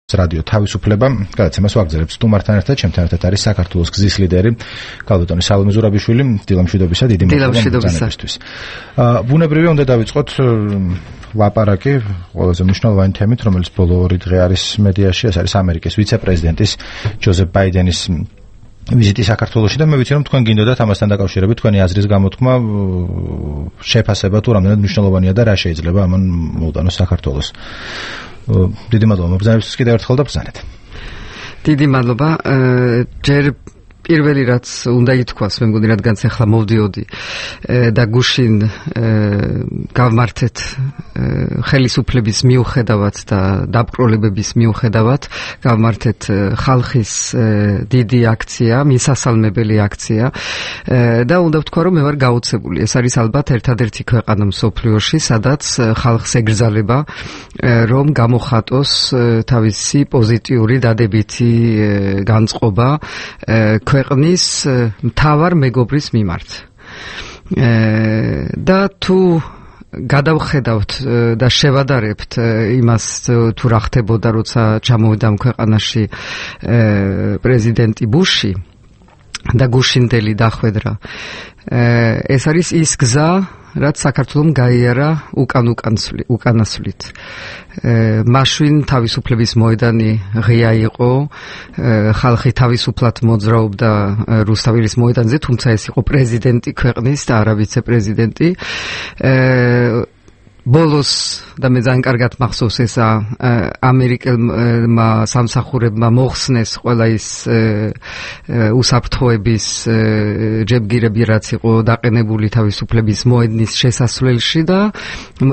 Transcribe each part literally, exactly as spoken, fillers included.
რადიო თავისუფლება გადაცემას ვაგზავნებთ სტუმართან ერთად, ჩემთან ერთად არის საქართველოს გზის ლიდერი ქალბატონი სალომე ზურაბიშვილი. დილამშვიდობისა, დიდი მადლობა ბრძანებისთვის. ბუნებრივია უნდა დავიწყოთ ლაპარაკი ყველაზე მნიშვნელოვანი თემით, რომელიც ბოლო ორი დღე არის მედიაში, ეს არის ამერიკის ვიცე-პრეზიდენტის ჯოზეფ ბაიდენის ვიზიტი საქართველოში და მე ვიცი რომ თქვენ გინდოდათ ამასთან დაკავშირებით თქვენი აზრის გამოთქმა, შეფასება თუ რამდენად მნიშვნელოვანია და რა შეიძლება ამან მოუტანოს საქართველოს. დიდი მადლობა მოგზაურობისთვის კიდევ ერთხელ და ბრძანეთ. დიდი მადლობა. ჯერ პირველი რაც უნდა ითქვას, მე მგონი რადგანაც ახლა მოვდიოდი და გუშინ გავმართეთ ხელისუფლების მიუხედავად და დაპყრობების მიუხედავად გავმართეთ ხალხის დიდი აქცია, მისასალმებელი აქცია და უნდა ვთქვა რომ მე ვარ გაოცებული. ეს არის ალბათ ერთადერთი ქვეყანა მსოფლიოში, სადაც ხალხს ეგრძალება რომ გამოხატოს თავისი პოზიტიური დადებითი განწყობა ქვეყნის მთავარ მეგობრის მიმართ. და თუ გადავხედავთ და შევადარებთ იმას თუ რა ხდებოდა როცა ჩამოვიდა ქვეყანაში პრეზიდენტი ბუში და გუშინდელი დახვედრა, ეს არის ის გზა, რაც საქართველომ გაიარა უკან უკანასვლით. მაშინ თავისუფლების მოედანი ღია იყო, ხალხი თავისუფლად მოძრაობდა რუსთაველის მოედანზე, თუმცა ეს იყო პრეზიდენტი ქვეყნის და არა ვიცე-პრეზიდენტი. ბოლოს და მე ძალიან კარგად მახსოვს ეს ამერიკელმა სამსახურებმა მოხსნეს ყველა ის უსაფრთხოების ჯებგირები, რაც იყო დაყენებული თავისუფლების მოედნის შესასვლელში და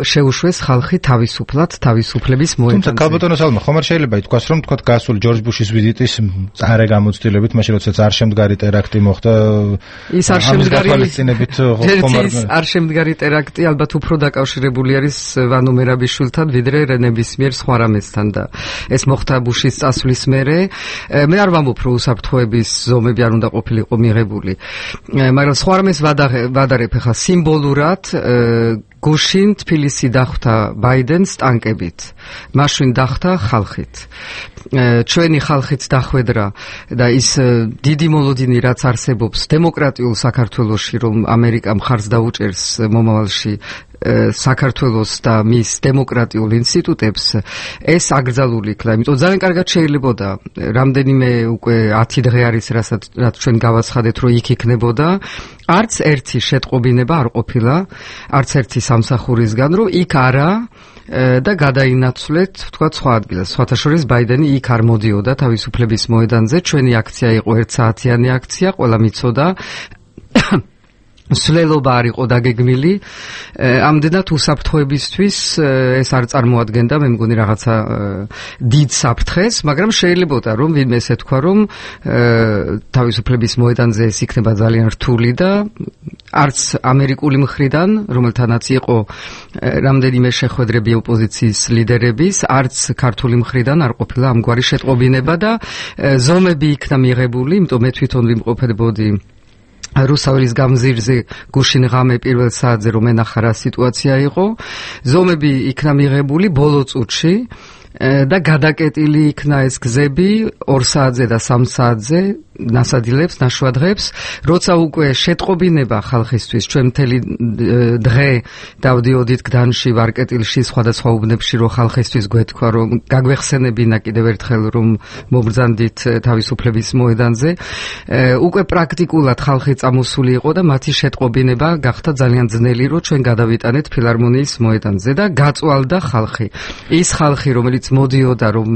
შეუშვეს ხალხი თავისუფლად თავისუფლების მოედანზე. თუმცა ქალბატონო სალომე, ხომ არ შეიძლება ითქვას რომ თქვა გასულ ჯორჯ ბუშის ვიზიტის წარე გამოცდილებით, მაშინ როდესაც არ შემდგარი ტერაქტი მოხდა, ის არ შემდგარი ხომ არ შემდგარი ტერაქტი ალბათ უფრო დაკავშირებული არის ვანო მერაბიშვილთან ვიდრე რენებისმიერ სხვა რამესთან და ეს მოხდა ბუშის წასვლის მერე. მე არ ვამბობ რომ უსაფრთხოების ზომები არ უნდა ყოფილიყო მიღებული, მაგრამ სხვა რამეს ვადარებ ახლა სიმბოლურად. გუშინ თბილისი დახვდა ბაიდენს ტანკებით, მაშინ დახვდა ხალხით. ჩვენი ხალხით დახვედრა და ის დიდი მოლოდინი რაც არსებობს დემოკრატიულ საქართველოში, რომ ამერიკა მხარს დაუჭერს მომავალში საქართველოს და მის დემოკრატიულ ინსტიტუტებს, ეს აკრძალული იქნა. იმიტომ ძალიან კარგად შეიძლებოდა რამდენიმე უკვე ათი დღე არის რასაც რაც ჩვენ გავაცხადეთ რომ იქ იქნებოდა, არც ერთი შეტყობინება არ ყოფილა, არც ერთი სამსახურისგან რომ იქ არა და გადაინაცვლეთ თქვა სხვა ადგილას. სხვათა შორის ბაიდენი იქ არ მოდიოდა თავისუფლების მოედანზე. ჩვენი აქცია იყო ერთსაათიანი აქცია, ყველა მიცოდა სვლელობა არ იყო დაგეგმილი. ამდენად უსაფრთხოებისთვის ეს არ წარმოადგენდა მე მგონი რაღაცა დიდ საფრთხეს, მაგრამ შეიძლებოდა რომ ვინმე ესე თქვა რომ თავისუფლების მოედანზე ეს იქნება ძალიან რთული და არც ამერიკული მხრიდან, რომელთანაც იყო რამდენიმე შეხვედრები ოპოზიციის ლიდერების, არც ქართული მხრიდან არ ყოფილა ამგვარი შეტყობინება და ზომები იქნა მიღებული, იმიტომ მე თვითონ ვიმყოფებოდი რუსთაველის გამზირზე გუშინ ღამე პირველ საათზე რომ ენახა რა სიტუაცია იყო. ზომები იქნა მიღებული ბოლო წუთში და გადაკეტილი იქნა ეს გზები ორ საათზე და სამ საათზე ნასადილებს, ნაშვადღებს, როცა უკვე შეტყობინება ხალხისთვის, ჩვენ მთელი დღე დავდიოდით გდანში, ვარკეტილში, სხვადასხვა უბნებში, რომ ხალხისთვის გვეთქვა, რომ გაგვეხსენებინა კიდევ ერთხელ, რომ მობრძანდით თავისუფლების მოედანზე. უკვე პრაქტიკულად ხალხი წამოსული იყო და მათი შეტყობინება გახდა ძალიან ძნელი, რომ ჩვენ გადავიტანეთ ფილარმონიის მოედანზე და გაწვალდა ხალხი. ის ხალხი, რომელიც მოდიოდა, რომ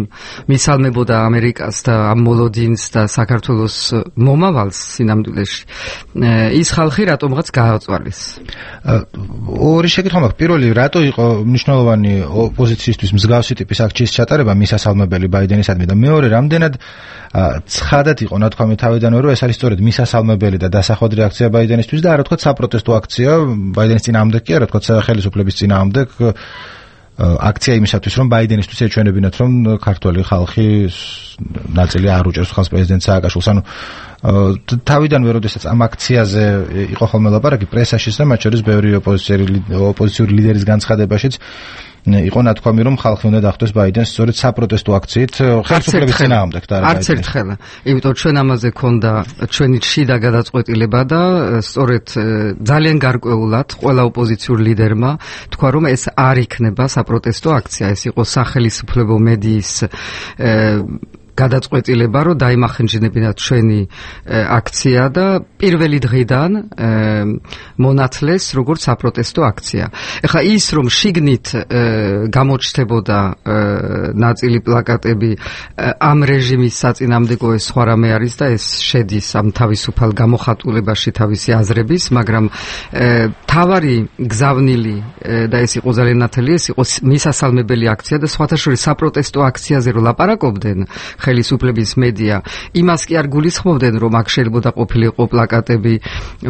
მისალმებოდა ამერიკას და ამ მოლოდინს და საქართველოს მომავალს სინამდვილეში, ის ხალხი რატომღაც გააწვალეს. ორი შეკითხვა მაქვს. პირველი, რატო იყო მნიშვნელოვანი ოპოზიციისთვის მსგავსი ტიპის აქციის ჩატარება მისასალმებელი ბაიდენისადმი და მეორე, რამდენად ცხადად იყო ნათქვამი თავიდანვე, რომ ეს არის სწორედ მისასალმებელი და დასახვედრი აქცია ბაიდენისთვის და არა თქვა საპროტესტო აქცია ბაიდენის წინააღმდეგ კი არა, თქვა ხელისუფლების წინააღმდეგ აქცია იმისათვის, რომ ბაიდენისთვის ეჩვენებინათ, რომ ქართველი ხალხი ნაწილი არ უჭერს ხალხს პრეზიდენტ სააკაშვილს. ანუ თავიდანვე, როდესაც ამ აქციაზე იყო ხოლმე ლაპარაკი პრესაშიც და მათ შორის ბევრი ოპოზიციური ლიდერის განცხადებაშიც იყო ნათქვამი, რომ ხალხი უნდა დახვდეს ბაიდენს სწორედ საპროტესტო აქციით ხელისუფლების წინააღმდეგ და არა არც ერთხელ. იმიტომ ჩვენ ამაზე ქონდა ჩვენი შიდა გადაწყვეტილება და სწორედ ძალიან გარკვეულად ყველა ოპოზიციურ ლიდერმა თქვა, რომ ეს არ იქნება საპროტესტო აქცია, ეს იყო სახელმწიფო მედიის გადაწყვეტილება, რომ დაიმახინჯნებინათ ჩვენი აქცია და პირველი დღიდან მონათლეს როგორც საპროტესტო აქცია. ეხლა ის რომ შიგნით გამოჩნდებოდა ნაწილი პლაკატები ამ რეჟიმის საწინააღმდეგო ეს სხვა რამე არის და ეს შედის ამ თავისუფალ გამოხატულებაში თავისი აზრების, მაგრამ თავარი გზავნილი და ეს იყო ძალიან ნათელი, ეს იყო მისასალმებელი აქცია და სხვათა შორის საპროტესტო აქციაზე რო ლაპარაკობდნენ ხელისუფლების მედია, იმას კი არ გულისხმობდნენ, რომ აქ შეიძლება ყოფილიყო პლაკატები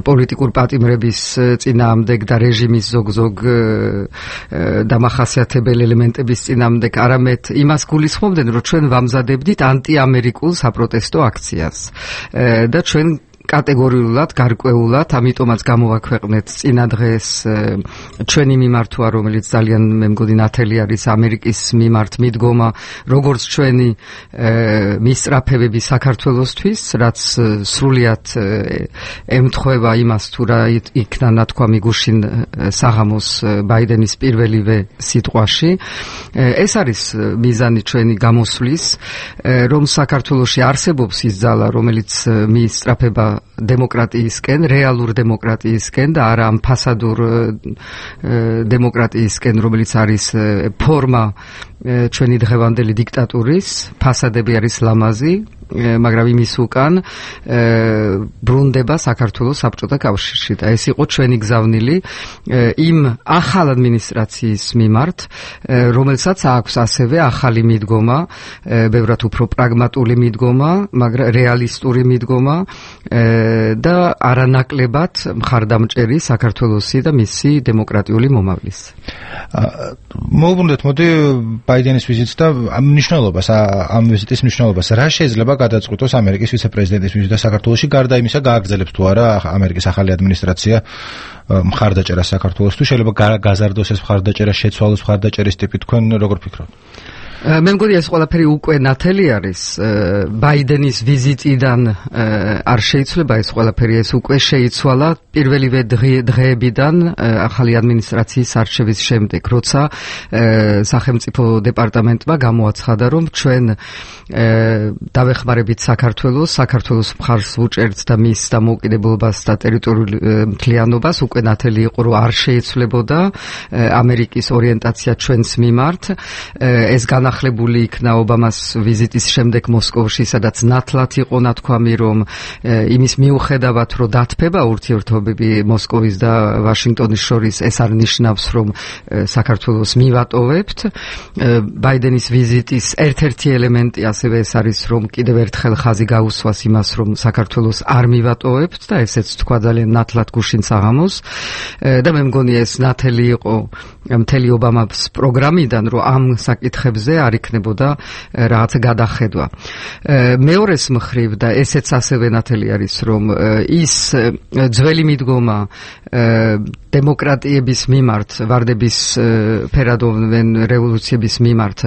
პოლიტიკურ პატიმრების წინააღმდეგ და რეჟიმის ზოგ-ზოგ დამახასიათებელ ელემენტების წინააღმდეგ, არამედ იმას გულისხმობდნენ, რომ ჩვენ ვამზადებდით ანტიამერიკულ საპროტესტო აქციას და ჩვენ კატეგორიულად, გარკვეულად, ამიტომაც გამოვაქვეყნეთ წინა დღეს ჩვენი მიმართვა, რომელიც ძალიან მე მგონი ნათელი არის ამერიკის მიმართ მიდგომა, როგორც ჩვენი მისწრაფებები საქართველოსთვის, რაც სრულიად ემთხვევა იმას, თუ რა იქნა ნათქვამი გუშინ საღამოს ბაიდენის პირველივე სიტყვაში. ეს არის მიზანი ჩვენი გამოსვლის, რომ საქართველოში არსებობს ის ძალა, რომელიც მისწრაფება დემოკრატიისკენ, რეალურ დემოკრატიისკენ და არა ამ ფასადურ დემოკრატიისკენ, რომელიც არის ფორმა ჩვენი დღევანდელი დიქტატურის, ფასადები არის ლამაზი, მაგრამ იმის უკან ბრუნდება საქართველოს საბჭოთა კავშირში და ეს იყო ჩვენი გზავნილი იმ ახალ ადმინისტრაციის მიმართ, რომელსაც აქვს ასევე ახალი მიდგომა, ბევრად უფრო პრაგმატული მიდგომა, მაგრამ რეალისტური მიდგომა და არანაკლებად მხარდამჭერი საქართველოსი და მისი დემოკრატიული მომავლის. მოვუბრუნდეთ, მოდი ბაიდენის ვიზიტს და ამ მნიშვნელობას, ამ ვიზიტის მნიშვნელობას, რა შეიძლება გადაწყვიტოს ამერიკის ვიცე-პრეზიდენტის ვიზიტი საქართველოში, გარდა იმისა, გააგრძელებს თუ არა ამერიკის ახალი ადმინისტრაცია მხარდაჭერას საქართველოს, თუ შეიძლება გაზარდოს ეს მხარდაჭერა, შეცვალოს მხარდაჭერის ტიპი, თქვენ როგორ ფიქრობთ? მე მგონი ეს ყველაფერი უკვე ნათელი არის ბაიდენის ვიზიტიდან არ შეიცვლება ეს ყველაფერი, ეს უკვე შეიცვალა პირველივე დღეებიდან ახალი ადმინისტრაციის არჩევის შემდეგ, როცა სახელმწიფო დეპარტამენტმა გამოაცხადა, რომ ჩვენ დავეხმარებით საქართველოს, საქართველოს მხარს ვუჭერთ და მის დამოუკიდებლობას და ტერიტორიულ მთლიანობას, უკვე ნათელი იყო, რომ არ შეიცვლებოდა ამერიკის ორიენტაცია ჩვენს მიმართ. ეს განახლებული იქნა ობამას ვიზიტის შემდეგ მოსკოვში, სადაც ნათლად იყო ნათქვამი, რომ იმის მიუხედავად, რომ დათბება ურთიერთობები მოსკოვის და ვაშინგტონის შორის, ეს არ ნიშნავს, რომ საქართველოს მივატოვებთ. ბაიდენის ვიზიტის ერთ-ერთი ელემენტი ასევე ეს არის, რომ კიდევ ერთხელ ხაზი გაუსვას იმას, რომ საქართველოს არ მივატოვებთ და ესეც თქვა ძალიან ნათლად გუშინ საღამოს და მე მგონი ეს ნათელი იყო მთელი ობამას პროგრამიდან, რომ ამ საკითხებზე არ იქნებოდა რაღაცა გადახედვა. მეორეს მხრივ და ესეც ასევე ნათელი არის, რომ ის ძველი მიდგომა დემოკრატიების მიმართ, ვარდების ფერადოვან რევოლუციების მიმართ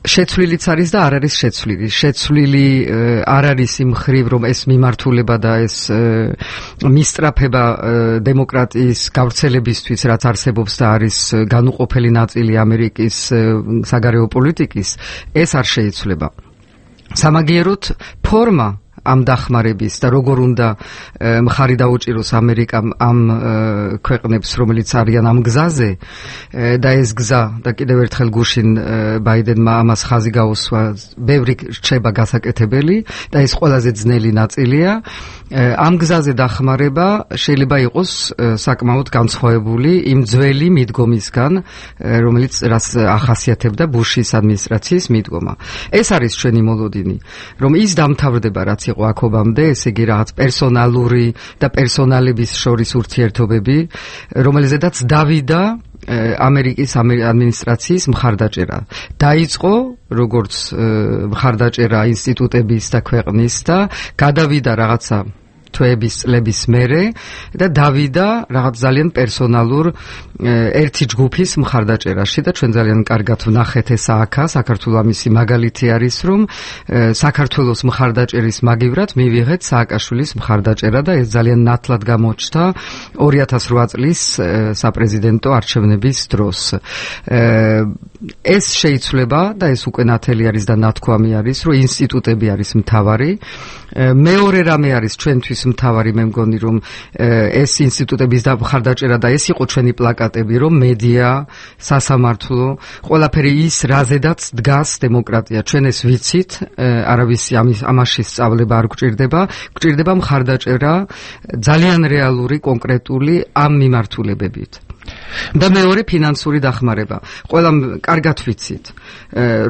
შეცვლილიც არის და არ არის შეცვლილი. შეცვლილი არ არის იმ მხრივ, რომ ეს მიმართულება და ეს მისწრაფება დემოკრატიის გავრცელებისთვის, რაც არსებობს და არის განუყოფელი ნაწილი ამერიკის საგარეო პოლიტიკის, ეს არ შეიცვლება. სამაგიეროდ ფორმა ამ დახმარების და როგორ უნდა მხარი დაუჭიროს ამერიკამ ამ ქვეყნებს, რომელიც არიან ამ გზაზე და ეს გზა და კიდევ ერთხელ გუშინ ბაიდენმა ამას ხაზი გაუსვა, ბევრი რჩება გასაკეთებელი და ეს ყველაზე ძნელი ნაწილია. ამ გზაზე დახმარება შეიძლება იყოს საკმაოდ განსხვავებული იმ ძველი მიდგომისგან, რომელიც რაც ახასიათებდა ბუშის ადმინისტრაციის მიდგომა. ეს არის ჩვენი მოლოდინი, რომ ის დამთავრდება, რაც იყო აქ ობამდე, ესე იგი რაღაც პერსონალური და პერსონალების შორის ურთიერთობები, რომელზედაც დავიდა ამერიკის ადმინისტრაციის მხარდაჭერა. დაიწყო როგორც მხარდაჭერა ინსტიტუტების და ქვეყნის და გადავიდა რაღაცა თვეების წლების მერე და დავიდა რაღაც ძალიან პერსონალურ ერთი ჯგუფის მხარდაჭერაში და ჩვენ ძალიან კარგად ვნახეთ ეს აქა საქართველოს ამისი მაგალითი არის რომ საქართველოს მხარდაჭერის მაგივრად მივიღეთ სააკაშვილის მხარდაჭერა და ეს ძალიან ნათლად გამოჩნდა ორი ათას რვა წლის საპრეზიდენტო არჩევნების დროს. ეს შეიცვლება და ეს უკვე ნათელი არის და ნათქვამი არის რომ ინსტიტუტები არის მთავარი. მეორე რამე არის ჩვენთვის მთავარი მე მგონი რომ ეს ინსტიტუტების მხარდაჭერა და ეს იყო ჩვენი პლაკატები რომ მედია, სასამართლო, ყველაფერი ის რაზედაც დგას დემოკრატია. ჩვენ ეს ვიცით, არავის ამაში სწავლება არ გვჭირდება, გვჭირდება მხარდაჭერა ძალიან რეალური, კონკრეტული ამ მიმართულებებით. და მეორე ფინანსური დახმარება. ყველა კარგად ვიცით,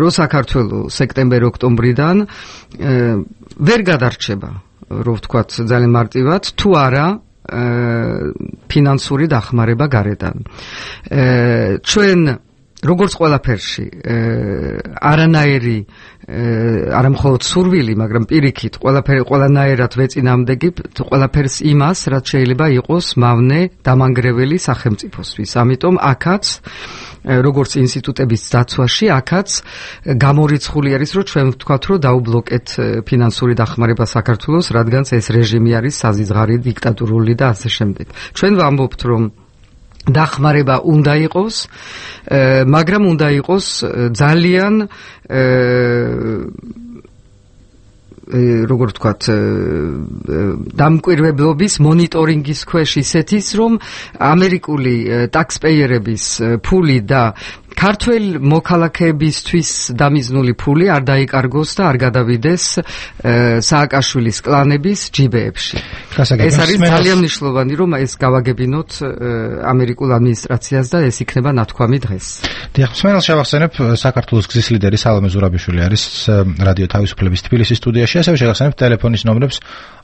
რომ საქართველოს სექტემბერ-ოქტომბრიდან ვერ გადარჩება, რო ვთქვათ ძალიან მარტივად, თუ არა ფინანსური დახმარება გარედან. ჩვენ როგორც ყველაფერში არანაირი არა მხოლოდ სურვილი, მაგრამ პირიქით ყველაფერი ყველანაირად ვეწინააღმდეგებთ ყველაფერს იმას, რაც შეიძლება იყოს მავნე დამანგრეველი სახელმწიფოსთვის. ამიტომ აქაც როგორც ინსტიტუტების დაცვაში, აქაც გამორიცხული არის, რომ ჩვენ ვთქვათ, რომ დაუბლოკეთ ფინანსური დახმარება საქართველოს, რადგან ეს რეჟიმი არის საზიზღარი, დიქტატურული და ასე შემდეგ. ჩვენ ვამბობთ, რომ დახმარება უნდა იყოს, მაგრამ უნდა იყოს ძალიან როგორ ვთქვათ, დამკვირვებლობის მონიტორინგის ქვეშ ისეთის, რომ ამერიკული ტაქსპეიერების ფული და ქართველ მოქალაქეებისთვის დამიზნული ფული არ დაიკარგოს და არ გადავიდეს სააკაშვილის კლანების ჯიბეებში. ეს არის ძალიან მნიშვნელოვანი, რომ ეს გავაგებინოთ ამერიკულ ადმინისტრაციას და ეს იქნება ნათქვამი დღეს. დიახ, მსმენელს შევახსენებ, საქართველოს გზის ლიდერი სალომე ზურაბიშვილი არის რადიო თავისუფლების თბილისის სტუდიაში, ასევე შევახსენებ ტელეფონის ნომრებს.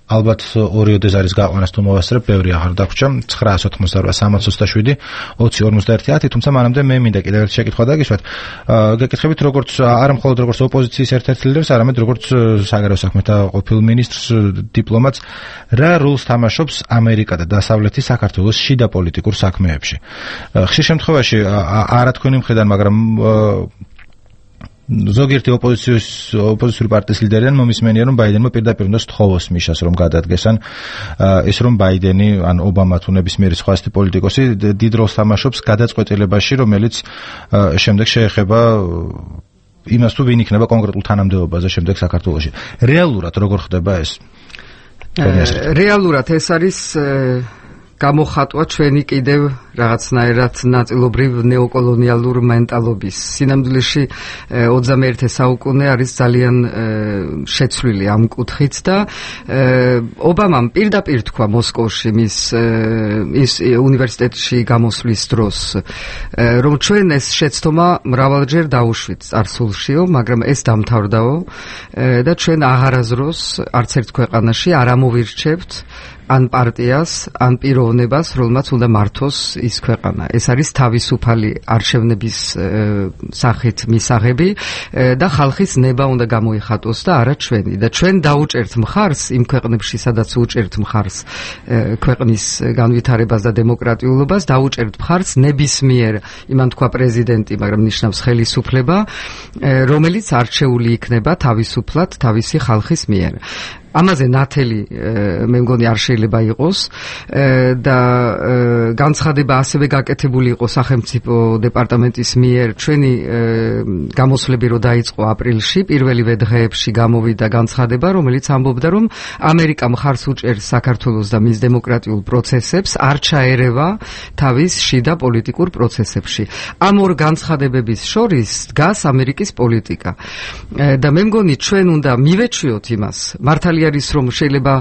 ალბათ ორი ოდეზარის გაყვანას თუ მოვასწრებ, ბევრი აღარ დაგვრჩა. ცხრა ოცდაოთხმოცდარვა სამოცი ოცდაშვიდი ოცი ორმოცდაერთი ათი, თუმცა მანამდე მე მინდა კიდევ ერთი შეკითხვა დაგისვათ. გეკითხებით როგორც არა მხოლოდ როგორც ოპოზიციის ერთ-ერთ ლიდერს, არამედ როგორც საგარეო საქმეთა ყოფილ მინისტრს, დიპლომატს, რა როლს თამაშობს ამერიკა და დასავლეთი საქართველოს შიდა პოლიტიკურ საქმეებში. ხშირ შემთხვევაში არა თქვენი მხრიდან, მაგრამ ზოგიერთი ოპოზიციის ოპოზიციური პარტიის ლიდერიდან მომისმენია, რომ ბაიდენმა პირდაპირ უნდა სთხოვოს მიშას, რომ გადადგესან ეს რომ ბაიდენი ან ობამა თუ ნებისმიერი სხვა ასეთი პოლიტიკოსი დიდ როლს თამაშობს გადაწყვეტილებაში, რომელიც შემდეგ შეეხება იმას, თუ ვინ იქნება კონკრეტულ თანამდებობაზე შემდეგ საქართველოში. რეალურად როგორ ხდება ეს? რეალურად ეს არის გამოხატვა ჩვენი კიდევ რაღაცნაირად ნაწილობრივ ნეოკოლონიალურ მენტალობის. სინამდვილეში ოცდამეერთე საუკუნე არის ძალიან შეცვლილი ამ კუთხით და ობამამ პირდაპირ თქვა მოსკოვში მის ის უნივერსიტეტში გამოსვლის დროს, რომ ჩვენ ეს შეცდომა მრავალჯერ დაუშვით წარსულშიო, მაგრამ ეს დამთავრდაო და ჩვენ აღარაზროს არც ერთ ქვეყანაში არ ამოვირჩევთ ან პარტიას, ან პიროვნებას, რომელმაც უნდა მართოს ის ქვეყანა. ეს არის თავისუფალი არჩევნების სახით მისაღები და ხალხის ნება უნდა გამოიხატოს და არა ჩვენი. და ჩვენ დაუჭერთ მხარს იმ ქვეყნებში, სადაც უჭერთ მხარს ქვეყნის განვითარებას და დემოკრატიულობას, დაუჭერთ მხარს ნებისმიერ, იმან თქვა პრეზიდენტი, მაგრამ ნიშნავს ხელისუფლება, რომელიც არჩეული იქნება თავისუფლად თავისი ხალხის მიერ. ამაზე ნათელი მე მგონი არ შეიძლება იყოს და განცხადება ასევე გაკეთებული იყო სახელმწიფო დეპარტამენტის მიერ. ჩვენი გამოსვლები რო დაიწყო აპრილში, პირველივე დღეებში გამოვიდა განცხადება, რომელიც ამბობდა, რომ ამერიკა მხარს უჭერს საქართველოს და მის დემოკრატიულ პროცესებს, არ ჩაერევა თავის შიდა პოლიტიკურ პროცესებში. ამ ორ განცხადებების შორის დგას ამერიკის პოლიტიკა. და მე მგონი ჩვენ უნდა მივეჩვიოთ იმას, მართალი არის რომ შეიძლება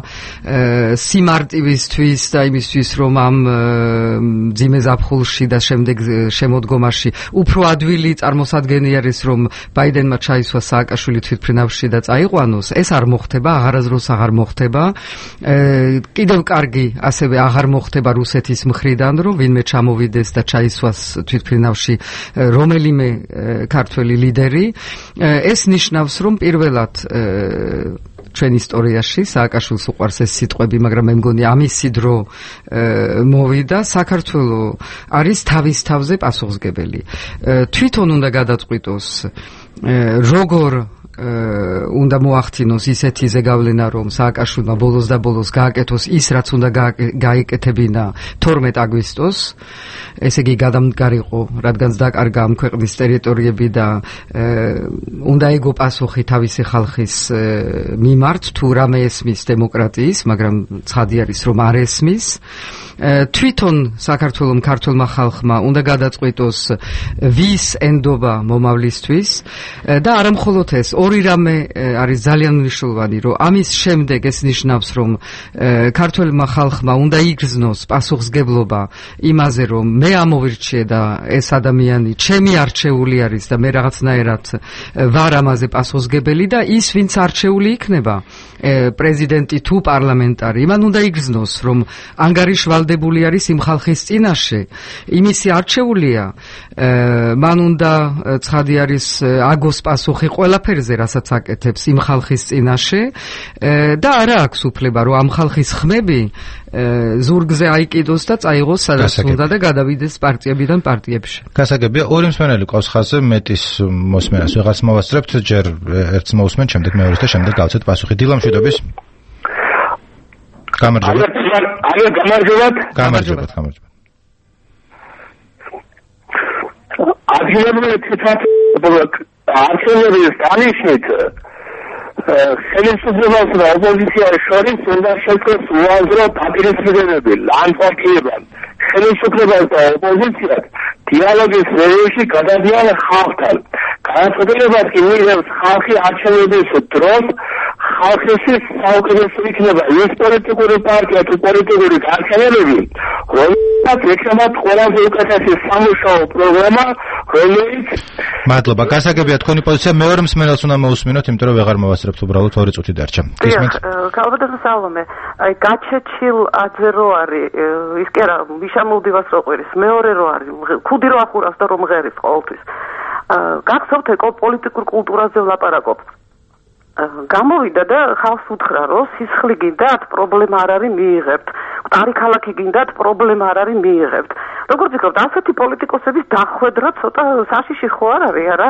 სიმარტივისთვის და იმისთვის რომ ამ ძიმე ზაფხულში და შემდეგ შემოდგომაში უფრო ადვილი წარმოსადგენი არის რომ ბაიდენმა ჩაისვა სააკაშვილი თვითმფრინავში და წაიყვანოს, ეს არ მოხდება, აღარაზროს აღარ მოხდება. კიდევ კარგი ასევე აღარ მოხდება რუსეთის მხრიდან, რომ ვინმე ჩამოვიდეს და ჩაისვას თვითმფრინავში რომელიმე ქართველი ლიდერი. ეს ნიშნავს, რომ პირველად ჩვენ ისტორიაში სააკაშვილს უყვარს ეს სიტყვები, მაგრამ მე მგონი ამისი დრო მოვიდა. საქართველო არის თავის თავზე პასუხისმგებელი. თვითონ უნდა გადაწყვიტოს როგორ უნდა მოახდინოს ისეთი ზეგავლენა, რომ სააკაშვილმა ბოლოს და ბოლოს გააკეთოს ის, რაც უნდა გაიკეთებინა თორმეტ აგვისტოს, ესე იგი გადამდგარიყო, რადგანაც დაკარგა ამ ქვეყნის ტერიტორიები და უნდა ეგო პასუხი თავისი ხალხის მიმართ, თუ რამე ესმის დემოკრატიის, მაგრამ ცხადი არის, რომ არ ესმის. თვითონ საქართველოს ქართულმა ხალხმა უნდა გადაწყვიტოს ვის ენდობა მომავლისთვის და არა მხოლოდ ეს, ორი რამე არის ძალიან მნიშვნელოვანი, რომ ამის შემდეგ ეს ნიშნავს, რომ ქართულმა ხალხმა უნდა იგრძნოს პასუხისმგებლობა იმაზე, რომ მე ამოვირჩიე და ეს ადამიანი ჩემი არჩეული არის და მე რაღაცნაირად ვარ ამაზე პასუხისმგებელი და ის, ვინც არჩეული იქნება, პრეზიდენტი თუ პარლამენტარი, იმან უნდა იგრძნოს, რომ ანგარიშვალდებული არის იმ ხალხის წინაშე, იმისი არჩეულია, მან უნდა ცხადი არის აგოს პასუხი ყველაფერზე, რასაც აკეთებს იმ ხალხის წინაშე და არა აქვს უფლება, რომ ამ ხალხის ხმები ზურგზე აიკიდოს და წაიღოს სადაც უნდა და გადავიდეს პარტიებიდან პარტიებში. გასაგებია, ორი მსმენელი ყავს ხაზზე, მეტის მოსმენას ვიღაც მოვასწრებთ, ჯერ ერთს მოусმენთ, შემდეგ მეორეს და შემდეგ გავცეთ პასუხი. დილა მშვიდობის. გამარჯობა. ალო, გამარჯობათ. გამარჯობათ, გამარჯობათ. ადგილობრივი თვითმართველობის არჩევნების დანიშნით ხელისუფლებას და ოპოზიციას შორის უნდა შექმნას უაზრო დაპირისპირებები ლანდშაფტებთან. ხელისუფლებას და ოპოზიციას დიალოგის რეჟიმში გადადიან ხალხთან. განაცხადებათ, კი მიიღებს ხალხი არჩევნების დროს ხალხისთვის საუკეთესო იქნება ის პოლიტიკური პარტია თუ პოლიტიკური გარჩევანები, რომელსაც ექნებათ ყველაზე უკეთესი სამუშაო პროგრამა, რომელიც მადლობა. გასაგებია თქვენი პოზიცია, მეორე მსმენელს უნდა მოусმინოთ, იმიტომ რომ ვეღარ მოვასწრებთ, უბრალოდ ორი წუთი დარჩა. გისმენთ? ქალბატონო სალომე, აი გაჩეჩილ აძე რო არის, ის კი არა, მიშა მოვდივას რო ყვირის, მეორე რო არის, ხუდი რო ახურავს და რომ მღერის ყოველთვის. გახსოვთ ეკო პოლიტიკურ კულტურაზე ვლაპარაკობთ. გამოვიდა და ხალხს უთხრა, რომ სისხლი გინდათ, პრობლემა არ არის მიიღებთ. მყარი ქალაქი გინდათ, პრობლემა არ არის მიიღებთ. როგორც ვიქნებთ, ასეთი პოლიტიკოსების დახვედრა ცოტა საშიში ხო არ არის, არა?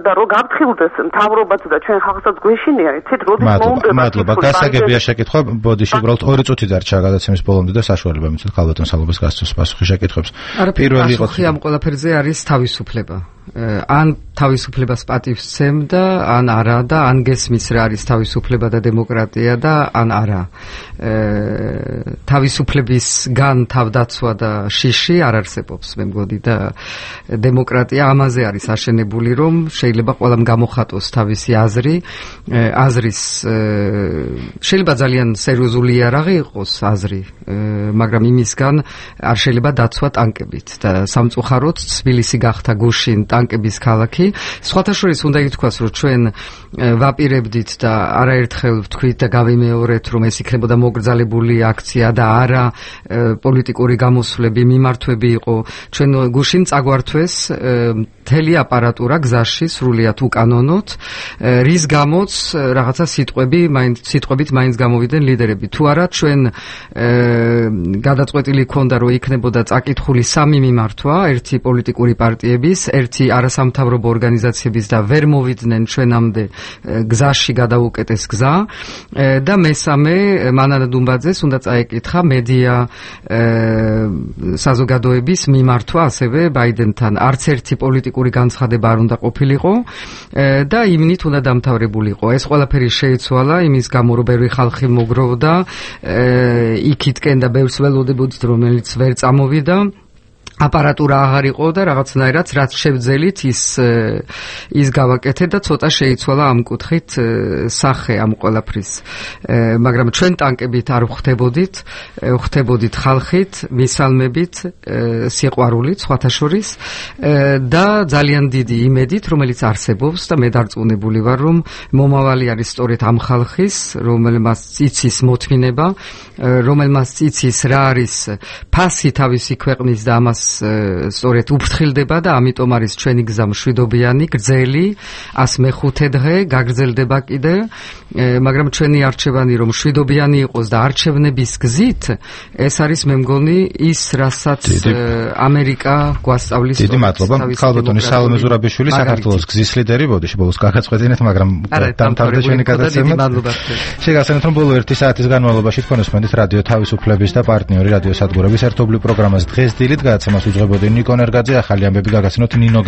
და რო გაფრთხილდეს მთავრობაც და ჩვენ ხალხსაც გვეშინია, იცით, როდის მოუნდება. მადლობა. გასაგებია შეკითხვა, ბოდიში, უბრალოდ ორი წუთი დარჩა გადაცემის ბოლომდე და საშუალება მიცეთ ქალბატონ სალომეს გასცოს პასუხი შეკითხვებს. პირველი იყო ამ ყველაფერზე არის თავისუფლება. ან თავისუფლებას პატივს სცემდა, ან არა და ან გესმის რა არის თავისუფლება და დემოკრატია და ან არა. თავისუფლებისგან თავდაცვა და შიში არ არსებობს, მე მგონი და დემოკრატია ამაზე არის აშენებული, რომ შეიძლება ყველამ გამოხატოს თავისი აზრი, აზრის შეიძლება ძალიან სერიოზული იარაღი იყოს აზრი, მაგრამ იმისგან არ შეიძლება დაცვა ტანკებით და სამწუხაროდ თბილისი გახდა გუშინ ტანკების ქალაქი. სხვათა შორის უნდა ითქვას, რომ ჩვენ ვაპირებდით და არაერთხელ ვთქვით და გავიმეორეთ, რომ ეს იქნებოდა მოგრძალებული აქცია და არა პოლიტიკური გამოსვლები, მიმართვები იყო. ჩვენ გუშინ წაგვართვეს მთელი აპარატურა გზაში სრულიად უკანონოდ, რის გამოც რაღაცა სიტყვები, მაინც სიტყვებით მაინც გამოვიდნენ ლიდერები. თუ არა ჩვენ გადაწყვეტილი ქონდა, რომ იქნებოდა წაკითხული სამი მიმართვა, ერთი პოლიტიკური პარტიების, ერთი არასამთავრობო ორგანიზაციების და ვერ მოვიდნენ ჩვენამდე გზაში გადაუკეტეს გზა და მესამე მანანა დუმბაძეს უნდა წაეკითხა მედია საზოგადოების მიმართვა ასევე ბაიდენთან. არც ერთი პოლიტიკური განცხადება არ უნდა ყოფილიყო და იმნით უნდა დამთავრებულიყო. ეს ყველაფერი შეიცვალა იმის გამო, რომ ბევრი ხალხი მოგროვდა იქითკენ და ბევრს ველოდებოდით, რომელიც ვერ წამოვიდა. აპარატურა აღარ იყო და რაღაცნაირად რაც შევძელით ის ის გავაკეთეთ და ცოტა შეიცვალა ამ კუთხით სახე ამ ყველაფრის. მაგრამ ჩვენ ტანკებით არ ვხვდებოდით, ვხვდებოდით ხალხით, მისალმებით, სიყვარულით, სხვათა შორის და ძალიან დიდი იმედით, რომელიც არსებობს და მე დარწმუნებული ვარ, რომ მომავალი არის სწორედ ამ ხალხის, რომელმაც იცის მოთმინება, რომელმაც იცის რა არის ფასი თავისი ქვეყნის და ამას სწორედ უფრთხილდება და ამიტომ არის ჩვენი გზა მშვიდობიანი, გრძელი, ას მეხუთე დღე გაგრძელდება კიდე, მაგრამ ჩვენი არჩევანი რომ მშვიდობიანი იყოს და არჩევნების გზით, ეს არის მე მგონი ის, რასაც ამერიკა გვასწავლის. დიდი მადლობა. ქალბატონი სალომე ზურაბიშვილი, საქართველოს გზის ლიდერი, ბოდიში ბოლოს გაგაწყვეტინეთ, მაგრამ დამთავრდა ჩვენი გადაცემა. შეგახსენებთ, რომ ბოლო ერთი საათის განმავლობაში თქვენ უსმენთ რადიო თავისუფლების და პარტნიორი რადიო სადგურების ერთობლივ პროგრამას დღეს დილით გადაცემას უძღვებოდნენ ნიკო ნერგაძე, ახალი ამბები გაგაცნოთ ნინო